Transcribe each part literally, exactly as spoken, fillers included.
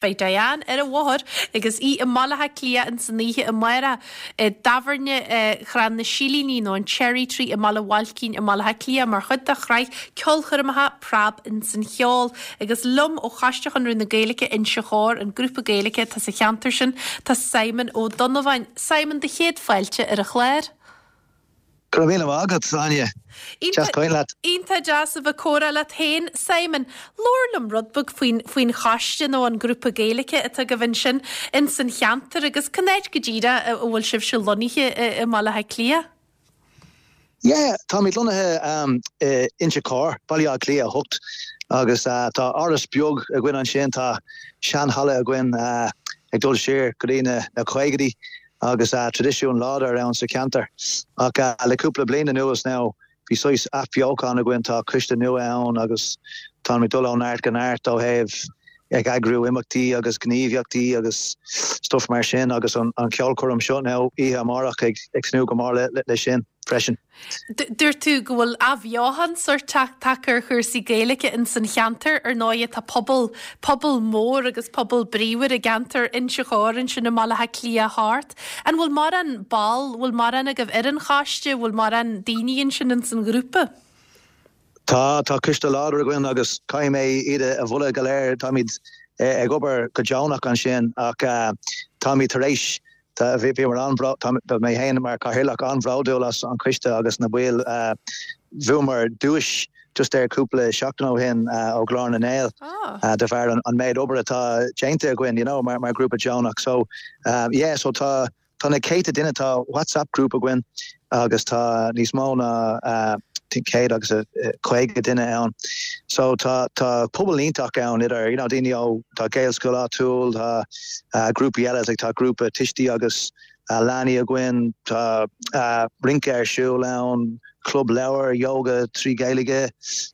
Beidh Diane ar an bhóthar agus í i mBaile Átha Cliath in san oíche amárach i dtábhairne Chrann na Silíní nó an Cherry Tree i mBaile Bhailcín i mBaile Átha Cliath mar chuid de shraith ceolchoirmeacha Preab ins an Cheol agus liom ó Choiste Chonradh na Gaeilge Inse Chór an grúpa Gaeilge atá sa cheantar sin tá Simon Ó Donnabháin. Simon do chéad fáilte ar an chlár. Go raibh míle maith agat Áine leat. Iontach deas a bheith comhrá leat féin Simon, Labhair liom rud beag faoin faoin choiste nó an grúpa Gaeilge atá agaibh ansin in san cheantar agus cén áit go díreach a bhfuil sibh lonnaithe i mBaile Átha Cliath? Yeah, táimid lonnaithe um, Inse Chór, Baile Átha Cliath a hocht agus uh, tá áras beag againn ansin tá seanhalla againn uh, ag dul siar go dtí na na caogaidí agus uh, traidisiún láidir ann sa cheantar. Ach uh, le cúpla bliain anuas now bhí saghas athbheochan againn tá coiste nua ann agus tá dul ó neart go neart ó thaobh ag eagrú imeachtaí agus gníomhaíochtaí agus stuff mar sin agus an, an ceolchoirm seo now oíche amárach ag ag tnúth go mór le, le, le sin freisin. Dúirt tú go bhfuil athbheochan sórt tagtha ar chúrsaí Gaeilge in san cheantar ar ndóigh tá pobal pobal mór agus pobal bríomhar i gceantar Inse Chór ansin i mBaile Átha Cliath thart. An bhfuil mórán ball bhfuil mórán agaibh ar an choiste, bhfuil mórán daoine ansin in san ghrúpa? Tá tá coiste láidir againn agus caithfidh mé iad a mholadh go léir táimid ag obair go deonach ansin ach uh, táimid tar éis bhí mar an mé féin mar chathaoirleach an-bhródúil as an choiste agus na baill uh, bhuamar duais just ar cúpla seachtain ó shin uh, ó Ghlór na nGael ah. uh, de bharr an, an méid obair atá déanta againn you know, mar mar grúpa deonach so um, yeah, so tá tá na céadta duine tá WhatsApp grúpa againn agus tá níos mó ná uh, céad agus a caoga duine ann. So tá tá pobal iontach ann idir you know, daoine ó tá Gaelscoil áitiúil tá uh, grúpaí eile like, tá grúpa tuistí agus uh, leanaí againn tá uh, rince ar siúl ann, club leabhar, yoga trí Ghaeilge.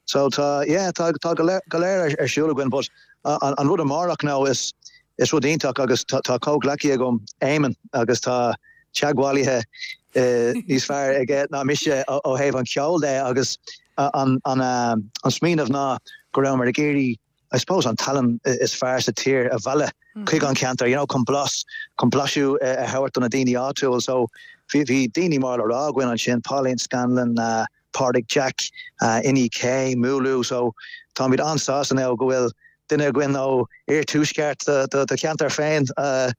So tá yeah, tá tá go léir ar siúl againn, but uh, an, an rud amárach now is is rud iontach agus tá, tá comhghleacaí agam Éamonn agus tá teagmhálaithe uh, níos fearr aige ná mise ó thaobh an cheoil de agus an an uh, an smaoineamh ná go raibh mar ag iarraidh I suppose an tallann is fearr sa tír a mhealladh chuig an ceantar you know chun blas chun blaiseadh a thabhairt do na daoine áitiúil so bhí bhí daoine mar le rá againn ansin Pauline Scanlon uh, Pádraig Jack uh, Inni K Múlú so táimid an-sásta now go bhfuil duine againn ó iarthuaisceart do cheantar féin uh,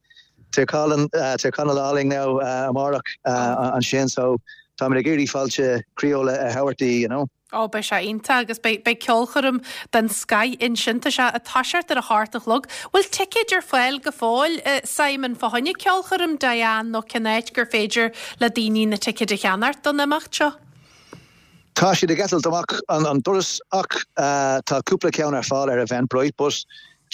Tír Chonaill Tír Chonaill álainn now amárach ansin so tá ag iarraidh fáilte chroíúil a thabhairt you know. Ó beidh sé iontach agus beidh ceolchoirm den scoth ansin tá sé ag toiseacht ar a hocht a chlog. Bhfuil ticéid ar fáil go fóill Simon fá choinne ceolchoirm Diane nó cén áit gur féidir le daoine na ticéid a cheannacht don imeacht seo? Tá siad ag eitilt amach an, an doras ach uh, tá cúpla ceann ar fáil ar Eventbrite, but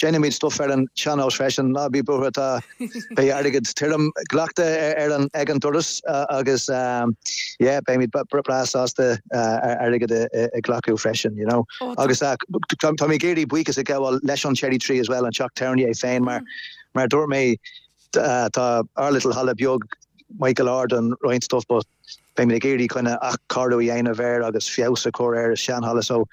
déanaimid stuff ar an sean-nós freisin ná bí buartha tá beidh airgead tirim glactha ar an ag an doras uh, agus um, yeah, beimid breá sásta uh, airgead a ghlacadh freisin, you know. Oh, agus uh, tá mé ag iarraidh buíochas a ghabháil leis an Cherry Tree as well an teach tábhairne é féin mar mar dúirt mé uh, tá our little halla beag Michael Arden roinnt stuff but beimid ag iarraidh chun athchóiriú a dhéanamh air agus feabhas a chur ar an seanhalla so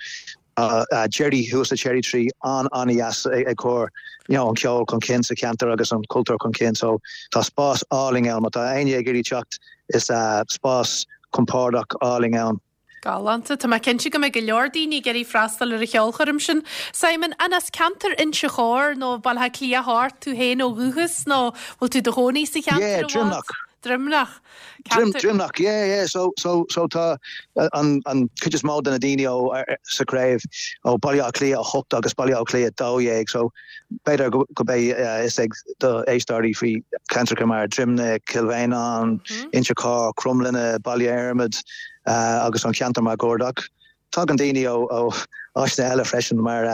uh, uh, Jerry thuas Cherry Tree an an-dheas ag cur you know, an ceol chun cinn sa cheantar agus an cultúr chun cinn so tá spás álainn ann má tá éinne ag iarraidh teacht is uh, spás compordach álainn ann. Galánta Tá mé cinnte go mbeidh go leor daoine ag iarraidh freastal ar an cheolchoirm sin. Simon an as ceantar Inse Chór nó Baile Átha Cliath thart tú féin ó dhúchas nó bhfuil tú i do chónaí sa cheantar? Yeah, Droimneach. Droimneach. Droimneach yeah yeah so so so tá an an chuid is mó de na daoine ó sa chraobh ó Baile Átha Cliath a hocht agus Baile Átha Cliath dó dhéag so b'fhéidir go mbeidh fhios ag do éisteoirí faoi ceantar mar Droimneach Kilvain Inse Chór Cromghlinne Baile Ernmaid agus an ceantar máguaird ach. Tagann daoine ó ó áiteanna eile freisin mar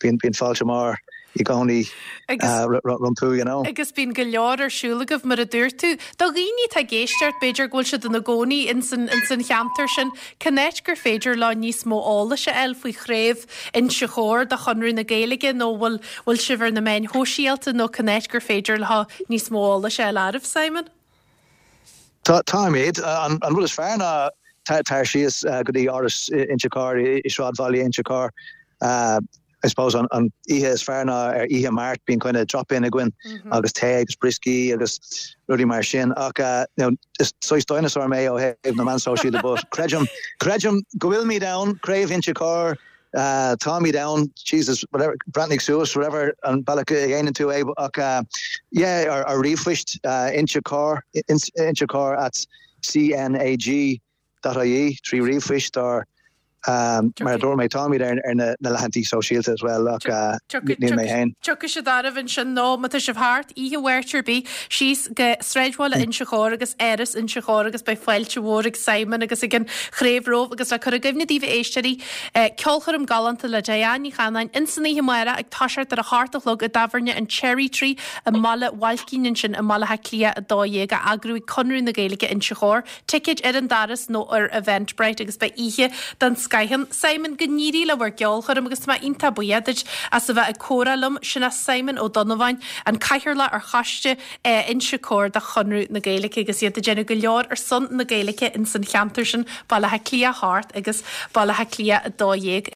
bíonn bíonn fáilte mar i gcónaí rompu you know. Agus bíonn go leor ar siúl agaibh mar a dúirt tú. Do dhaoine atá ag éisteacht b'fhéidir go bhfuil siad ina gcónaí in san in san cheantar sin, cén áit gur féidir leo níos mó eolais a fháil faoi chraobh Inse Chór de Chonradh na Gaeilge nó bhfuil bhfuil sibh ar na meáin shóisialta nó cén áit gur féidir leo níos mó eolais a fháil oraibh Simon? Tá táimid an an rud is fearr ná tar síos go dtí áras Inse Chór i sráidbhaile Inse Chór. I suppose an, an oíche is fearr ná ar oíche Máirt bíonn kind of drop-in againn mm -hmm. agus tae agus brioscaí agus rudaí mar sin ach uh, you know, is saghas dinosaur mé ó thaobh na meán sóisialta but creidim creidim go bhfuilimid ann Craobh Inse Chór uh, táimid ann Jesus whatever breathnaigh suas whatever an bealach a dhéanann tú é ach uh, yeah ar, ar ríomhphost uh, Inchecor Inchecor at CNAG dot IE trí ríomhphost ar um, mar dúirt mé táimid ar ar na, na leathanaigh sóisialta as well ach uh, níl mé féin. Tiocfaidh siad oraibh ansin nó má tá sibh thart oíche Mháirt ar bith síos go sráidbhaile Inse Chór agus Áras Inse Chór agus beidh fáilte mhór ag Simon agus ag an chraobh romhaibh agus le cur i gcuimhne daoibh a éisteoirí eh, ceolchoirm galánta le Diane Ní Chanáin insan oíche amárach ag toiseacht ar a hocht a chlog i dtábhairne an Cherry Tree i mBaile Bhailcín ansin i mBaile Átha Cliath a dó dhéag á eagrú ag Conradh na Gaeilge Inse Chór, ticéid ar an doras nó ar Eventbrite agus beidh oíche den scoth ann. Simon go n-éirí le bhur gceolchoirm agus tá mé iontach buíoch duit as a bheith ag comhrá liom sin é Simon Ó Donnabháin an cathaoirleach ar choiste eh, Inse Chór de Chonradh na Gaeilge agus iad ag déanamh go leor ar son na Gaeilge in san cheantar sin Baile Átha Cliath thart agus Baile Átha Cliath a dó dhéag.